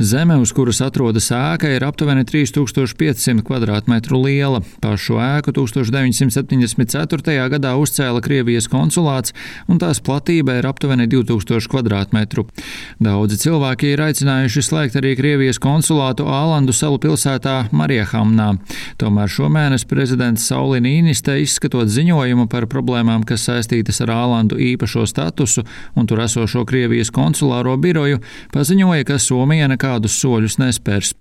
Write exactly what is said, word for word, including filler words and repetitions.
Zeme, uz kuras atrodas ēka, ir aptuveni trīs tūkstoši piecsimt kvadrātmetru liela. Pašu ēku tūkstoš deviņsimt septiņdesmit ceturtajā gadā uzcēla Krievijas konsulāts, un tās platība ir aptuveni divi tūkstoši kvadrātmetru. Daudzi cilvēki ir aicinājuši slēgt arī Krievijas konsulātu Ālandu salu pilsētā Mariehamnā. Tomēr šomēnes prezidents Sauli Nīniste, izskatot ziņojumu par problēmām, kas saistītas ar Ālandu īpašo statusu un tur esošo Krievijas konsulāro biroju, paziņoja, ka Somija nekādus soļus nespērs.